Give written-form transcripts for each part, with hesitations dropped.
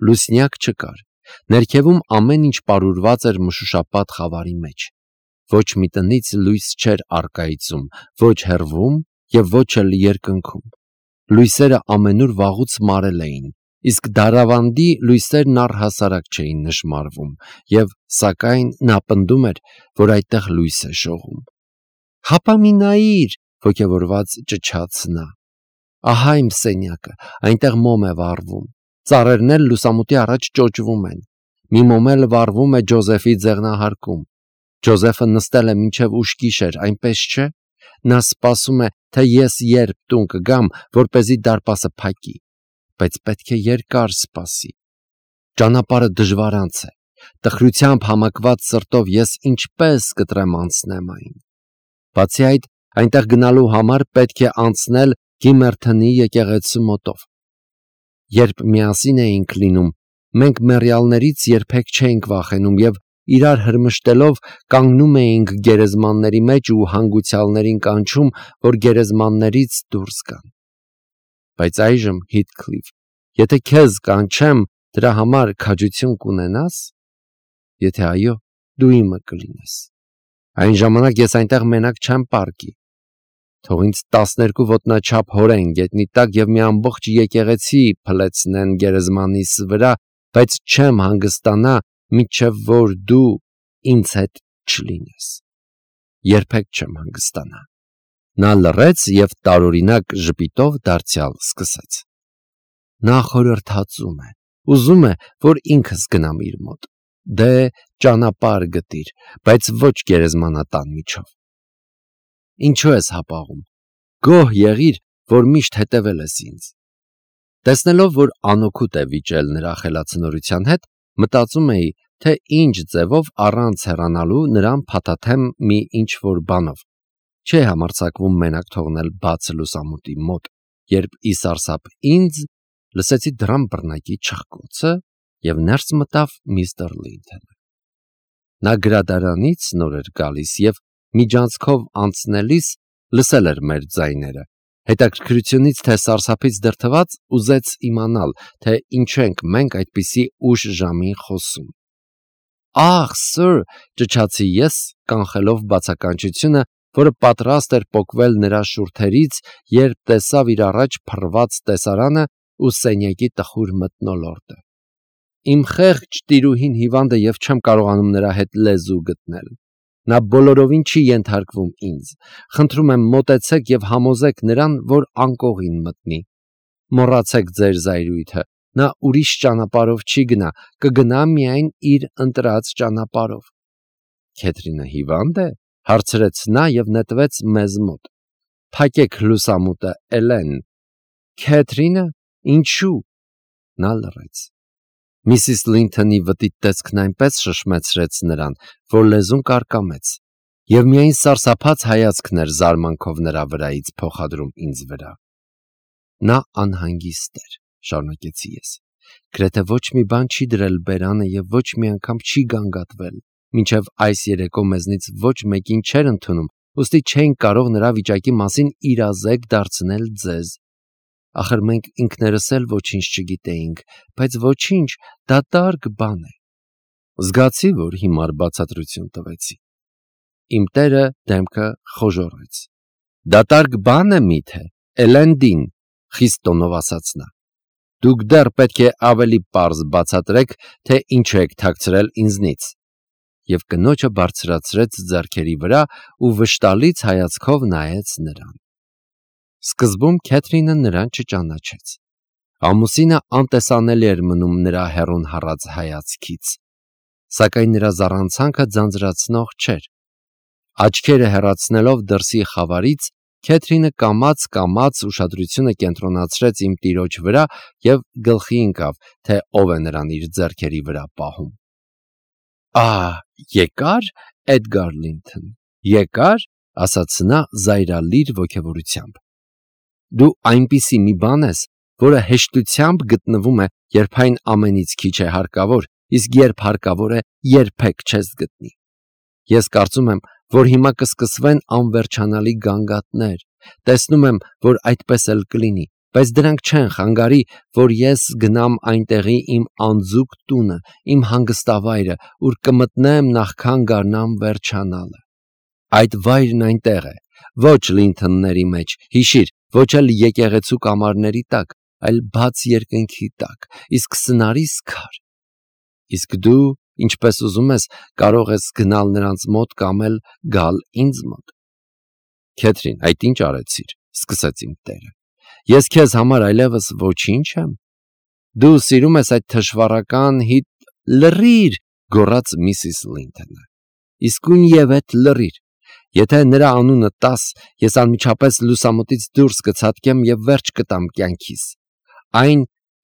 լուսնյակ չկար, ներքևում ամեն ինչ պարուրված էր մշուշապատ խավարի մեջ, ոչ մի տնից լույս չէր առկայծում, ոչ հեռվում և ոչ էլ երկնքում, լույսերը ամենուր վաղուց մարել էին, իսկ դարավանդի լույսերն առհասարակ չէին նշմարվում, և սակայն նա պնդում էր, որ այդտեղ լույս է շողում։ «Հապա մի նայիր», ոգևորված ճչաց նա, «ահա իմ սենյակը, այնտեղ մոմ է վառվում, ծառերն էլ լուսամուտի առաջ ճոճվում են, մի մոմ էլ վառվում է Ջոզեֆի ձեղնահարկում, Ջոզեֆը նստել է մինչև ուշ գիշեր, այնպես չէ, նա սպասում է, թե ես երբ տուն կգամ, որպեսզի դարպասը փակի, բայց պետք է երկար սպասի, ճանապարհը դժվարանց է, տխրությամբ համակված սրտով ես ինչպես կտրեմ անցնեմ այն, բացի այդ, այնտեղ գնալու համար պետք է անցնել Գիմերթնի եկեղեցու մոտով, երբ միասին էինք լինում, մենք մեռյալներից երբեք չէինք վախենում և իրար հրմշտելով կանգնում էինք գերեզմանների մեջ ու հանգուցյալներին կանչում, որ գերեզմաններից դուրս գան, բայց այժմ, Հիթքլիֆ, եթե քեզ կանչեմ, դրա համար քաջություն կունենա՞ս, եթե այո, դու իմը կլինես, այն ժամանակ ես այնտեղ մենակ չեմ պառկի, թող ինձ 12 ոտնաչափ հորեն գետնի տակ և մի ամբողջ եկեղեցի փլեցնեն գերեզմանիս վրա, բայց չեմ հանգստանա, մինչև որ դու ինձ հետ չլինես, երբեք չեմ հանգստանա։ Նա լռեց և տարօրինակ ժպիտով դարձյալ սկսեց. Նա խորհրդածում է, ուզում է, որ ինքս գնամ իր մոտ, դե ճանապարհ գտիր, բայց ոչ գերեզմանատան միջով։ Ինչու ես հապաղում, գոհ եղիր, որ միշտ հետևել ես ինձ։ Տեսնելով, որ անօգուտ է վիճել նրա խելացնորության հետ, մտածում էի, թե ինչ ձևով առանց հեռանալու նրան փաթաթեմ մի ինչ-որ բանով, չէ համարձակվում մենակ թողնել բաց լուսամուտի մոտ, երբ ի սարսափ ինձ լսեցի դռան բռնակի չխկոցը և ներս մտավ միստր Լինթոնը։ Նա գրադարանից նոր էր գալիս և միջանցքով անցնելիս լսել էր մեր ձայները, հետաքրքրությունից թե սարսափից դրդված ուզեց իմանալ, թե ինչու ենք մենք այդպիսի ուշ ժամին խոսում։ Ահ, սըր, ճչացի ես, կանխելով բացականչությունը, որը պատրաստ էր պոկվել նրա շուրթերից, երբ տեսավ իր առաջ փռված տեսարանը ու սենյակի տխուր մթնոլորտը։ Իմ խեղճ տիրուհին հիվանդ է և չեմ կարողանում նրա հետ լեզու գտնել։ Նա բոլորովին չի ենթարկվում ինձ, խնդրում եմ մոտեցեք և համոզեք նրան, որ անկողին մտնի, մոռացեք ձեր զայրույթը, նա ուրիշ ճանապարհով չի գնա, կգնա միայն իր ընտրած ճանապարհով։ Քեթրինը հիվա՞նդ է, հարցրեց նա և նետվեց մեզ մոտ։ Փակեք լուսամուտը, Էլեն։ Քեթրինը, ինչու՞։ Նա լռեց։ Միսիս Լինթոնի վտիտ տեսքն այնպես շշմեցրեց նրան, որ լեզուն կարկամեց, և միայն սարսափած հայացքն էր զարմանքով նրա վրայից փոխադրում ինձ վրա։ Նա անհանգիստ էր, շարունակեցի ես, գրեթե ոչ մի բան չի դրել բերանը և ոչ մի անգամ չի գանգատվել, մինչև այս երեկո մեզնից ոչ մեկին չէր ընդունում, ուստի չէինք կարող նրա վիճակի մասին իրազեկ դարձնել ձեզ։ Ախր մենք ինքներս էլ ոչինչ չգիտեինք, բայց ոչինչ, դատարկ բան է։ Զգացի, որ հիմար բացատրություն տվեցի։ Իմ տերը դեմքը խոժոռեց։ Դատարկ բան է միթե, Էլենդին, խիստ տոնով ասաց նա։ Դուք դեռ պետք է ավելի պարզ բացատրեք, թե ինչու եք թաքցրել ինձնից։ Եվ կնոջը բարձրացրեց ձեռքերի վրա ու վշտալից հայացքով նայեց նրան։ Սկզբում Քեթրինը նրան չճանաչեց։ Ամուսինը անտեսանելի էր մնում նրա հեռուն հառած հայացքից, սակայն նրա զառանցանքը ձանձրացնող չէր։ Աչքերը հեռացնելով դրսի խավարից, Քեթրինը կամաց ուշադրությունը կենտրոնացրեց իմ տիրոջ վրա և գլխի ընկավ, թե ով է նրան իր ձեռքերի վրա պահում։ Եկա՞ր, Էդգար Լինթոն, եկա՞ր, ասաց նա զայրալիր ոգևորությամբ։ Դու այնպիսի մի բան ես, որը հեշտությամբ գտնվում է, երբ այն ամենից քիչ է հարկավոր, իսկ երբ հարկավոր է, երբեք չես գտնի։ Ես կարծում եմ, որ հիմա կսկսվեն անվերջանալի գանգատներ, տեսնում եմ, որ այդպես էլ կլինի, բայց դրանք չեն խանգարի, որ ես գնամ այնտեղի իմ անձուկ տունը, իմ հանգստավայրը, ուր կմտնեմ նախքան գարնան վերջանալը։ Այդ վայրն այնտեղ է, ոչ Լինթոնների մեջ, հիշիր, ոչ էլ եկեղեցու կամարների տակ, այլ բաց երկնքի տակ, իսկ սնարիս քար։ Իսկ դու, ինչպես ուզում ես, կարող ես գնալ նրանց մոտ կամ էլ գալ ինձ մոտ։ Քեթրին, այդ ինչ արեցիր, սկսեց իմ տերը։ Ես քեզ համար այլևս ոչինչ եմ։ Դու սիրում ես այդ թշվառական լռիր, գոռաց միսիս Լինթոնը։ Իսկույն եւ այդ լռիր։ Եթե նրա անունը տաս, ես անմիջապես լուսամուտից դուրս կցատկեմ եւ վերջ կտամ կյանքիս։ Այն,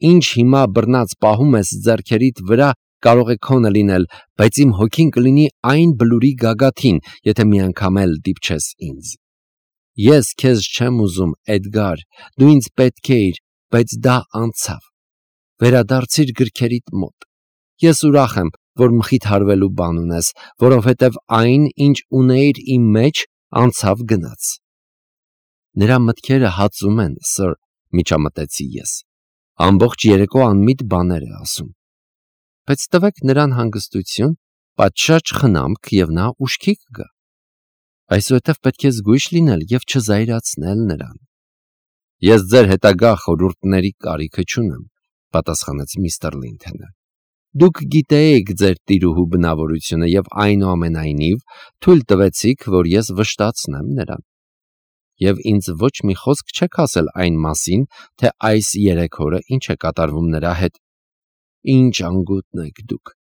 ինչ հիմա բռնած պահում ես ձեռքերիդ վրա, կարող է քոնը լինել, բայց իմ հոգին կլինի այն բլուրի գագաթին, եթե մի անգամ էլ դիպչես ինձ։ Ես քեզ չեմ ուզում, Էդգար, դու ինձ պետք էիր, բայց դա անցավ։ Վերադարձիր գրքերիդ մոտ։ Ես ուրախ եմ, որ մխիթարվելու բան ունես, որովհետև այն, ինչ ունեիր իմ մեջ, անցավ գնաց։ Նրա մտքերը հացում են, սըր, միջամտեցի ես։ Ամբողջ երեկո անմիտ բաներ է ասում։ Բայց տվեք նրան հանգստություն, պատշաճ խնամք եւ նա ուշքի կգա։ Այսուհետև պետք է զգույշ լինել եւ չզայրացնել նրան։ Ես ձեր հետագա խորհուրդների կարիքը չունեմ, պատասխանեց միստր Լինթոնը։ Դուք գիտեիք ձեր տիրուհու բնավորությունը եւ այնուամենայնիվ թույլ տվեցիք, որ ես վշտացնեմ նրան։ Եվ ինձ ոչ մի խոսք չեք ասել այն մասին, թե այս 3 օրը ինչ է կատարվում նրա հետ։ Ինչ անգութն եք դուք։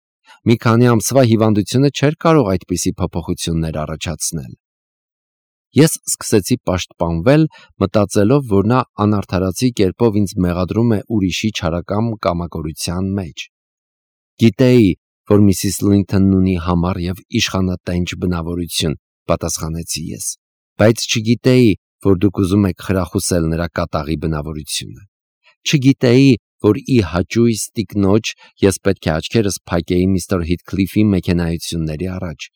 Մի քանի ամսվա հիվանդությունը չէր կարող այդպիսի փոփոխություններ առաջացնել։ Ես սկսեցի պաշտպանվել, մտածելով, որ նա անարդարացի կերպով ինձ մեղադրում է ուրիշի չարակամ կամակորության մեջ։ Գիտեի, որ միսիս Լինթոնն ունի համառ եւ իշխանատենչ բնավորություն, պատասխանեցի ես, բայց չգիտեի, որ դուք ուզում եք խրախուսել նրա կատաղի բնավորությունը։ Չգիտեի, որ ի հաճույս տիկնոջ ես պետք է աչքերս փակեի միստր Հիթքլիֆի մեքենայությունների առաջ։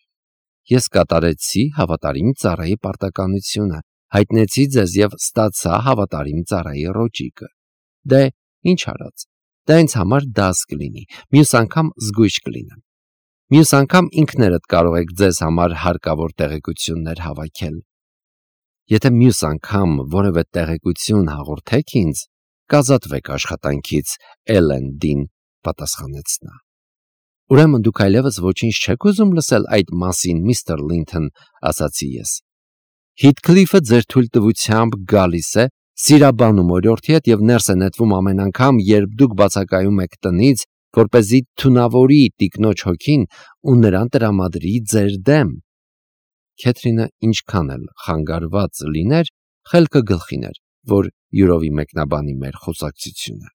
Ես կատարեցի հավատարիմ ծառայի պարտականությունը, հայտնեցի ձեզ եւ ստացա հավատարիմ ծառայի ռոճիկը։ Դե, ինչ արած, դա ինձ համար դաս կլինի, մյուս անգամ զգույշ կլինեմ։ Մյուս անգամ ինքներդ կարող եք ձեզ համար հարկավոր տեղեկություններ հավաքել։ Եթե մյուս անգամ որևէ տեղեկություն հաղորդեք ինձ, կազատվեք աշխատանքից, Էլենդին, պատասխանեց նա։ Ուրեմն դուք այլևս ոչինչ չեք ուզում լսել այդ մասին, միստր Լինթոն, ասացի ես։ Հիթքլիֆը ձեր թույլտվությամբ գալիս է, սիրաբանում օրիորդի հետ եւ ներս է նետվում ամեն անգամ, երբ դուք բացակայում եք տնից, որպեսզի թունավորի տիկնոջ հոգին ու նրան տրամադրի ձեր դեմ։ Քեթրինը ինչքան էլ խանգարված լիներ, խելքը գլխին էր, որ յուրովի մեկնաբանի մեր խոսակցությունը։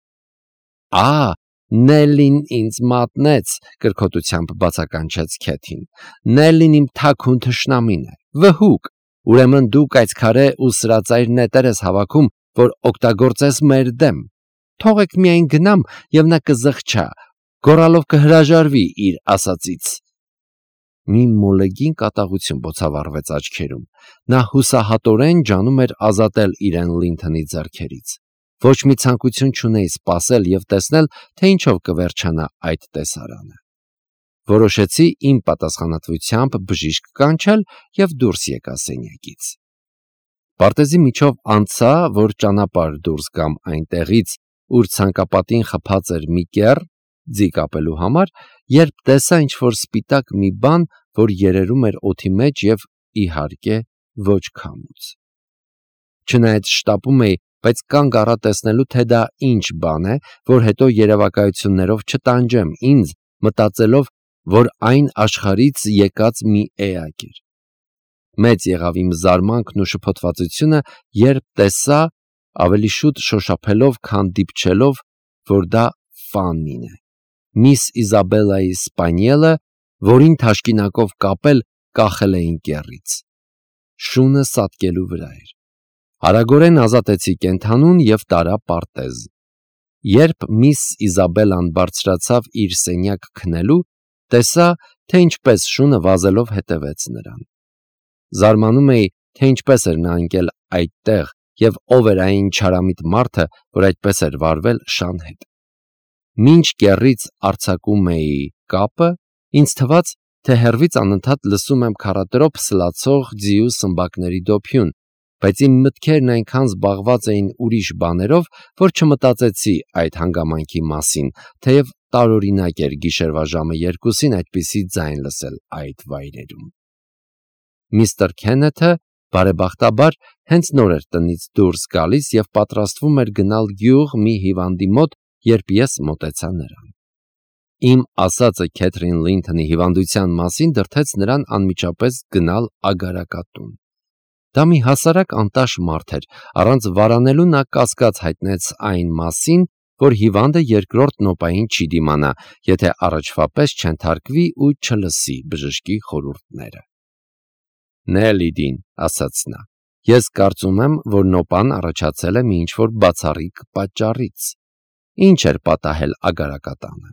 Նելլին ինձ մատնեց, կրկոտությամբ բացականչեց Քեթին։ Նելլին իմ թաքուն թշնամին է, վհուկ, ուրեմն դու կայծքարե ու սրածայր նետեր ես հավաքում, որ օգտագործես մեր դեմ։ Թողեք միայն գնամ եւ նա կզղջա, գոռալով կհրաժարվի իր ասածից։ Մի մոլեգին կատաղություն բոցավառվեց աչքերում։ Նա հուսահատորեն ջանում էր ազատել իրեն Լինթոնի ձեռքերից։ Ոչ մի ցանկություն չունեի սպասել եւ տեսնել, թե ինչով կվերջանա այդ տեսարանը։ Որոշեցի իմ պատասխանատվությամբ բժիշկ կանչել եւ դուրս եկա սենյակից։ Պարտեզի միջով անցա, որ ճանապարհ դուրս գամ այնտեղից, ուր ցանկապատին խփած էր մի կեռ, ձի կապելու համար, երբ տեսա ինչ-որ սպիտակ մի բան, որ երերում էր օդի մեջ եւ, իհարկե, ոչ քամուց։ Չնայած շտապում էի, բայց կանգ առա տեսնելու, թե դա ինչ բան է, որ հետո երևակայություններով չտանջեմ ինձ, մտածելով, որ այն աշխարից եկած մի էակ էր։ Մեծ եղավ իմ զարմանքն ու շփոթվածությունը, երբ տեսա, ավելի շուտ շոշափելով, քան դիպչելով, որ դա Ֆաննին է, միս Իզաբելայի սպանիելը, որին թաշկինակով կապել կախել էին կեռից։ Շունը սատկելու վրա էր։ Արագորեն ազատեցի կենդանուն եւ տարա պարտեզ։ Երբ միս Իզաբելան բարձրացավ իր սենյակ քնելու, տեսա, թե ինչպես շունը վազելով հետևեց նրան։ Զարմանում էի, թե ինչպես էր նա ընկել այդտեղ եւ ով էր այն չարամիտ մարդը, որ այդպես էր վարվել Շան հետ։ Մինչ կեռից արձակում էի կապը, ինձ թվաց, թե հեռվից անընդհատ լսում եմ քառատրոփ սլացող ձիու սմբակների դոփյուն, բայց իմ մտքերն այնքան զբաղված էին ուրիշ բաներով, որ չմտածեցի այդ հանգամանքի մասին, թեև տարօրինակ էր գիշերվա ժամը 2-ին այդպիսի ձայն լսել այդ վայրերում։ Միստր Քենեթը բարեբախտաբար հենց նոր էր տնից դուրս գալիս եւ պատրաստվում էր գնալ գյուղ մի հիվանդի մոտ, երբ ես մոտեցա նրան։ Իմ ասածը Քեթրին Լինթոնի հիվանդության մասին դրդեց նրան անմիջապես գնալ ագարակատուն։ Դա մի հասարակ անտաշ մարդ էր, առանց վարանելու նա կասկած հայտնեց այն մասին, որ հիվանդը երկրորդ նոպային չի դիմանա, եթե առաջվա պես չենթարկվի ու չլսի բժշկի խորհուրդները։ Նելիդին, ասաց նա, ես կարծում եմ, որ նոպան առաջացել է մի ինչ-որ բացառիկ պատճառից։ Ինչ էր պատահել ագարակատանը։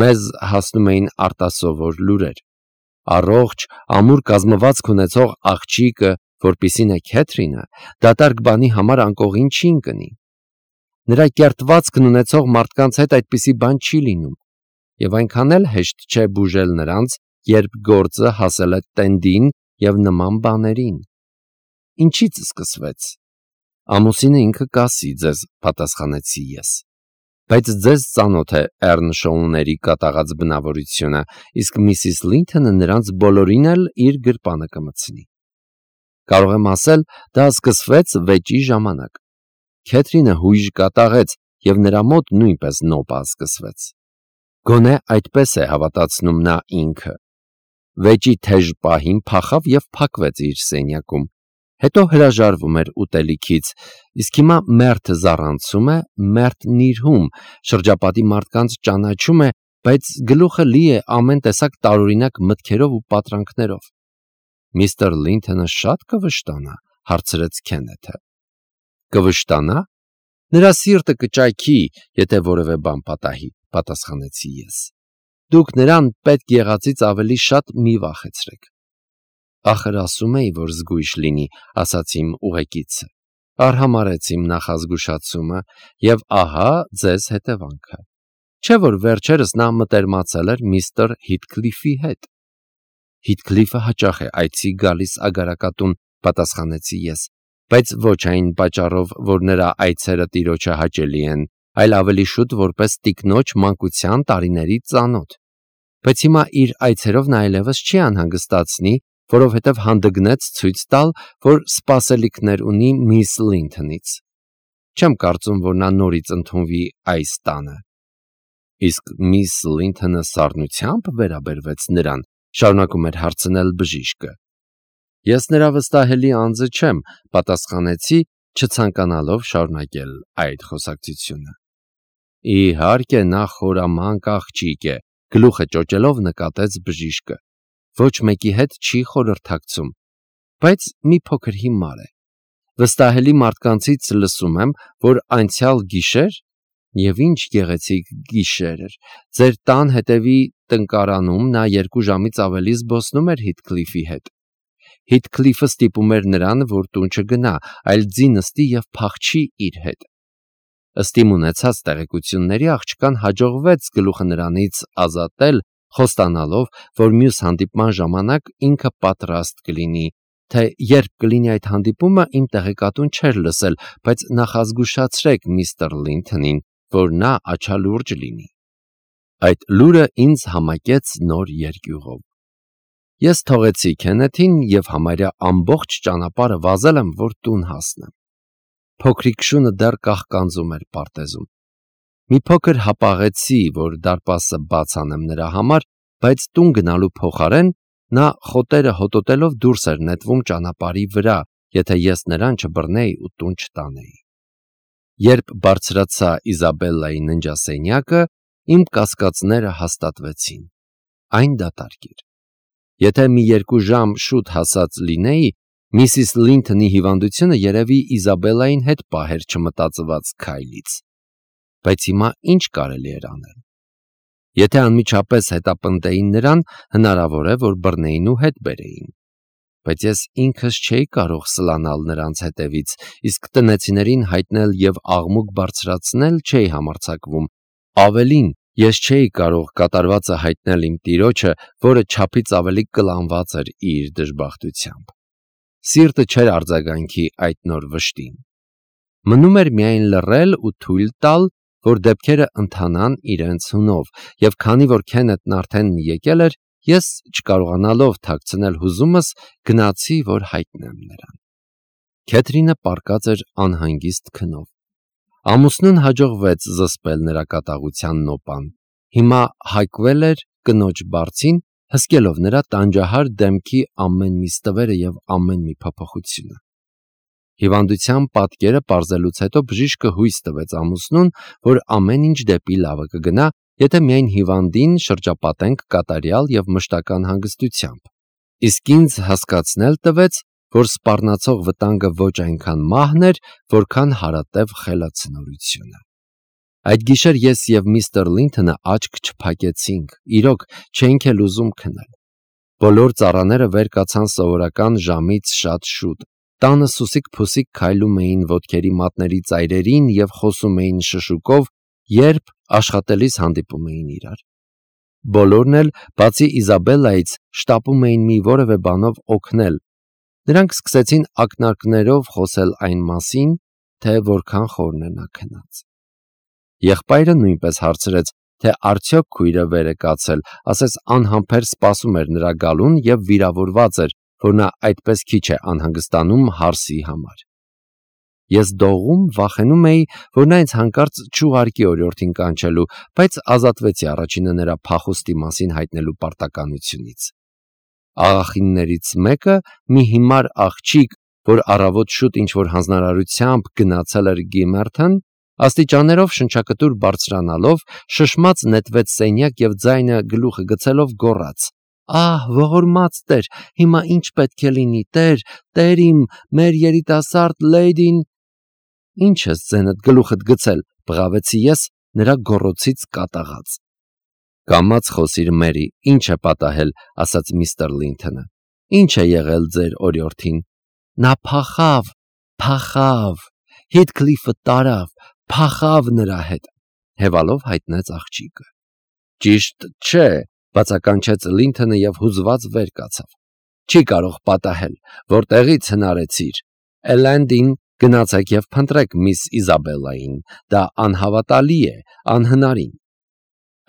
Մեզ հասնում էին արտասովոր լուրեր։ Առողջ, ամուր կազմվածք ունեցող աղջիկը, որպիսին է Քեթրինը, դատարկ բանի համար անկողին չի ընկնի։ Նրա կերտվածքն ունեցող մարդկանց հետ այդպիսի բան չի լինում, եւ այնքան էլ հեշտ չէ բուժել նրանց, երբ գործը հասել է տենդին եւ նման բաներին։ Ինչից սկսվեց։ Ամուսինը ինքը կասի ձեզ, պատասխանեցի ես։ Բայց ձեզ ծանոթ է Էռնշոուների կատաղած բնավորությունը, իսկ Միսիս Լինթոնը նրանց բոլորին էլ իր գրպանը կմցնի։ Կարող եմ ասել, դա սկսվեց վեճի ժամանակ։ Քեթրինը հույժ կատաղեց եւ նրա մոտ նույնպես նոպա սկսվեց։ Գոնե այդպես է հավատացնում նա ինքը։ Վեճի թեժ պահին փախավ եւ փակվեց իր սենյակում։ Հետո հրաժարվում էր ուտելիքից, իսկ հիմա մերթ զառանցում է, մերթ նիրհում, շրջապատի մարդկանց ճանաչում է, բայց գլուխը լի է ամեն տեսակ տարօրինակ մտքերով ու պատրանքներով։ Միստր Լինթոնը շատ կվշտանա, հարցրեց Քենեթը։ Կվշտանա։ Նրա սիրտը կճայքի, եթե որևէ բան պատահի, պատասխանեցի ես։ Դուք նրան պետք եղածից ավելի շատ մի վախեցրեք։ Ախր ասում էի, որ զգույշ լինի, ասաց իմ ուղեկիցը։ Արհամարեց իմ նախազգուշացումը եւ ահա ձեզ հետևանքը։ Չէ՞ որ վերջերս նա մտերմացել էր միստր Հիթքլիֆի հետ։ Հիթքլիֆը հաճախ է այցի գալիս ագարակատուն, պատասխանեցի ես, բայց ոչ այն պատճառով, որ նրա այցերը տիրոջը հաճելի են, այլ ավելի շուտ որպես տիկնոջ մանկության տարիների ծանոթ։ Բայց հիմա իր այցերով նա այլևս չի անհանգստացնի, որովհետև հանդգնեց ցույց տալ, որ սպասելիքներ ունի միս Լինթոնից։ Չեմ կարծում, որ նա նորից ընդունվի այս տանը։ Իսկ միս Լինթոնը սառնությամբ վերաբերվեց նրան, շարունակում էր հարցնել բժիշկը։ Ես նրա վստահելի անձը չեմ, պատասխանեցի, չցանկանալով շարունակել այդ խոսակցությունը։ Իհարկե նա խորամանկ աղջիկ է, գլուխը ճոճելով նկատեց բժիշկը։ Ոչ մեկի հետ չի խորհրդակցում, բայց մի փոքր հիմար է։ Վստահելի մարդկանցից լսում եմ, որ անցյալ գիշեր, եւ ինչ գեղեցիկ գիշեր էր, ձեր տան հետևի տնկարանում նա 2 ժամից ավելի զբոսնում էր Հիթքլիֆի հետ։ Հիթքլիֆը ստիպում էր նրան, որ տուն չգնա, այլ ձի նստի եւ փախչի իր հետ։ Ըստ իմ ունեցած տեղեկությունների աղջկան հաջողվեց գլուխը նրանից ազատել, խոստանալով, որ մյուս հանդիպման ժամանակ ինքը պատրաստ կլինի, թե երբ կլինի այդ հանդիպումը իմ տեղեկատուն չէր լսել, բայց նախազգուշացրեք միստր Լինթոնին, որ նա աչալուրջ լինի։ Այդ լուրը ինձ համակեց նոր երկյուղով։ Ես թողեցի Քենեթին եւ համարյա ամբողջ ճանապարհը վազել եմ, որ տուն հասնեմ։ Փոքրիկ շունը դեռ կաղկանձում էր պարտեզում։ Մի փոքր հապաղեցի, որ դարպասը բաց անեմ նրա համար, բայց տուն գնալու փոխարեն նա խոտերը հոտոտելով դուրս էր նետվում ճանապարհի վրա, եթե ես նրան չբռնեի ու տուն չտանեի։ Երբ բարձրացա Իզաբելլայի ննջասենյակը, իմ կասկածները հաստատվեցին։ Այն դատարկ էր։ Եթե մի 2 ժամ շուտ հասած լինեի, Միսիս Լինթոնի հիվանդությունը երևի Իզաբելլային հետ պահեր չմտածված քայլից։ Բայց հիմա ինչ կարելի էր անել։ Եթե անմիջապես հետապնդեին նրան, հնարավոր է, որ բռնեին ու հետ բերեին։ բայց ես ինքս չէի կարող սլանալ նրանց հետևից, իսկ տնեցիներին հայտնել և աղմուկ բարձրացնել չէի համարձակվում, ավելին, ես չէի կարող կատարվածը հայտնել իմ տիրոջը, որը չափից ավելի կլանված էր իր դժբախտությամբ։ Սիրտը չէր արձագանքի այդ նոր վշտին։ Մնում էր միայն լռել ու թույլ տալ, որ դեպքերը ընթանան իրենց հունով, և քանի որ Քենեթն արդեն եկել էր, ես չկարողանալով թաքցնել հուզումս, գնացի, որ հայտնեմ նրան։ Քեթրինը պառկած էր անհանգիստ քնով։ Ամուսնուն հաջողվեց զսպել նրա կատաղության նոպան։ Հիմա հայկվել էր կնոջ բարձին, հսկելով նրա տանջահար դեմքի ամեն մի ստվերը և ամեն մի փոփոխությունը։ Հիվանդության պատկերը պարզելուց հետո բժիշկը հույս տվեց ամուսնուն, որ ամեն ինչ դեպի լավը կգնա, եթե միայն հիվանդին շրջապատենք կատարյալ և մշտական հանգստությամբ։ Իսկ ինձ հասկացնել տվեց, որ սպառնացող վտանգը ոչ այնքան մահն էր, որքան հարատև խելացնորությունը։ Այդ գիշեր ես և միստր Լինթոնը աչք չփակեցինք, իրոք չէինք էլ ուզում քնել։ Բոլոր ծառաները վեր կացան սովորական ժամից շատ շուտ։ Տանը սուսիկ-փուսիկ քայլում էին ոտքերի մատների ծայրերին և խոսում էին շշուկով, երբ աշխատելիս հանդիպում էին իրար։ Բոլորն էլ, բացի Իզաբելլայից, շտապում էին մի որևէ բանով օգնել։ Նրանք սկսեցին ակնարկներով խոսել այն մասին, թե որքան խորն է նա քնած։ Եղբայրը նույնպես հարցրեց, թե արդյոք քույրը վեր է կացել, ասես անհամբեր սպասում էր նրա գալուն և վիրավորված էր, որ նա այդպես քիչ է անհանգստանում հարսի համար։ Ես դողում վախենում էի, որ նա ինձ հանկարծ չուղարկի օրիորդին կանչելու, բայց ազատվեցի առաջինը նրա փախուստի մասին հայտնելու պարտականությունից։ Աղախիններից մեկը, մի հիմար աղջիկ, որ առավոտ շուտ ինչ-որ հանձնարարությամբ գնացել էր Գիմերթոն, աստիճաններով շնչակտուր բարձրանալով, շշմած նետվեց սենյակ և ձայնը գլուխը գցելով գոռաց. «Ահ, ողորմած Տեր, հիմա ինչ պետք է լինի, Տեր իմ, մեր երիտասարդ լեյդին»։ «Ինչ ես ձենդ գլուխդ գցել», բղավեցի ես, նրա գոռոցից կատաղած։ «Կամաց խոսիր, Մերի, ինչ է պատահել», ասաց միստր Լինթոնը։ «Ինչ է եղել ձեր օրիորդին»։ «Նա փախավ, Հիթքլիֆը տարավ, փախավ նրա հետ», հևալով հայտնեց աղջիկը։ «Ճիշտ չէ», բացականչեց Լինթոնը և հուզված վեր կացավ։ «Չի կարող պատահել, որտեղի՞ց հնարեցիր։ Էլենդին գնացեք և փնտրեք միս Իզաբելլային, դա անհավատալի է, անհնարին»։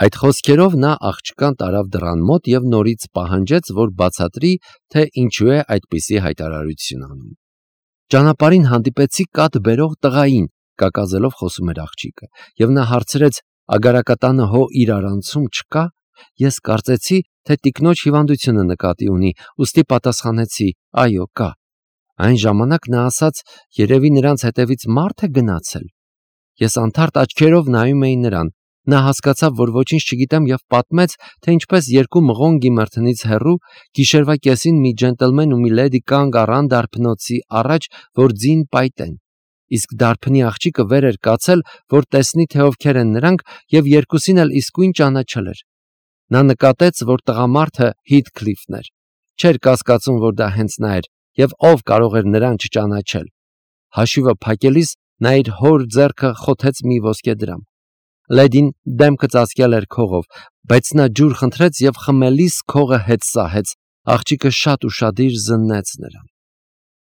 Այդ խոսքերով նա աղջկան տարավ դռան մոտ և նորից պահանջեց, որ բացատրի, թե ինչու է այդպիսի հայտարարություն անում։ «Ճանապարհին հանդիպեցի կաթ բերող տղային», կակազելով խոսում էր աղջիկը, և նա հարցրեց, ագարակատանը հո իրարանցում չկա։ Ես կարծեցի, թե տիկնոջ հիվանդությունը նկատի ունի, ուստի պատասխանեցի. «Այո, կա»։ Այն ժամանակ նա ասաց, երևի նրանց հետևից մարդ է գնացել։ Ես անթարթ աչքերով նայում էի նրան։ Նա հասկացավ, որ ոչինչ չգիտեմ և պատմեց, թե ինչպես երկու մղոն Գիմերթոնից հեռու, գիշերվա կեսին մի ջենտլմեն ու մի լեդի կանգ առան դարբնոցի առաջ, որ ձին պայտեն։ Իսկ դարբնի աղջիկը վեր էր կացել, որ տեսնի, թե ովքեր են նրանք, և երկուսին էլ իսկույն ճանաչել էր։ Նա նկատեց, որ տղամարդը Հիթքլիֆն էր։ Չէր կասկածում, որ դա հենց նա էր, և ով կարող էր նրան չճանաչել։ Հաշիվը փակելիս նա իր հոր ձեռքը խոթեց մի ոսկեդրամ։ Լեդին դեմքը ծածկել էր քողով, բայց նա ջուր խնդրեց և խմելիս քողը հետ սահեց։ Աղջիկը շատ ուշադիր զննեց նրան։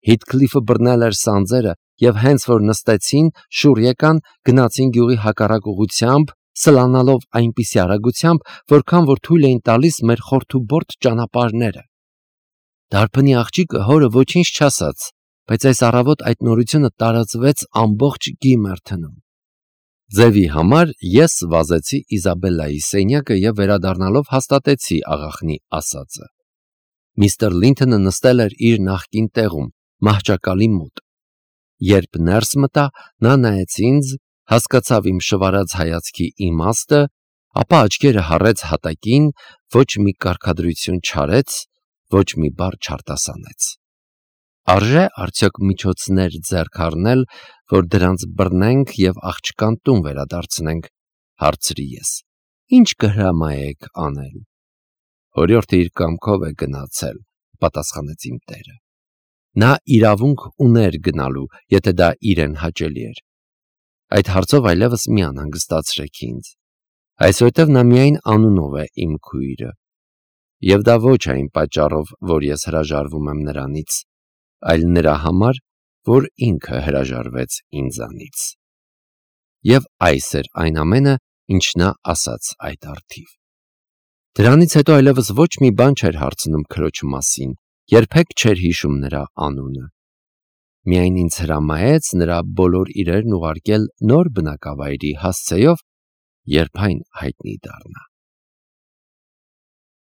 Հիթքլիֆը բռնել էր սանձերը, և հենց որ նստեցին, շուռ եկան, գնացին գյուղի հակառակ ուղղությամբ, սլանալով այնպիսի արագությամբ, որքան որ թույլ էին տալիս մեր խորթուբորտ ճանապարհները։ Դարբնի աղջիկը հորը ոչինչ չասաց, բայց այս առավոտ այդ նորությունը տարածվեց ամբողջ Գիմերթոնում։ Ձևի համար ես վազեցի Իզաբելլայի սենյակը և վերադառնալով հաստատեցի աղախնի ասածը։ Միստր Լինթոնը նստել էր իր նախկին տեղում, մահճակալի մոտ։ Երբ ներս մտա, նա նայեց ինձ, հասկացավ իմ շվարած հայացքի իմաստը, ապա աչքերը հառեց հատակին, ոչ մի կարգադրություն չարեց, ոչ մի բառ չարտասանեց։ Արժե՞ արդյոք միջոցներ ձեռք առնել, որ դրանց բռնենք և աղջկան տուն վերադարձնենք, հարցրի ես։ Ինչ կհրամայեք անել։ Օրիորդը իր կամքով է գնացել, պատասխանեց իմ տերը։ Նա իրավունք ուներ գնալու, եթե դա իրեն հաճելի էր։ Այդ հարցով այլևս մի անհանգստացրեք ինձ, այսուհետև նա միայն անունով է իմ քույրը, և դա ոչ այն պատճառով, որ ես հրաժարվում եմ նրանից, այլ նրա համար, որ ինքը հրաժարվեց ինձանից։ Եվ այս էր այն ամենը, ինչ նա ասաց այդ առթիվ։ Դրանից հետո այլևս ոչ մի բան չէր հարցնում քրոջ մասին, երբեք չէր հիշում նրա անունը։ Միայն ինձ հրամայեց նրա բոլոր իրերն ուղարկել նոր բնակավայրի հասցեով, երբ այն հայտնի դառնա։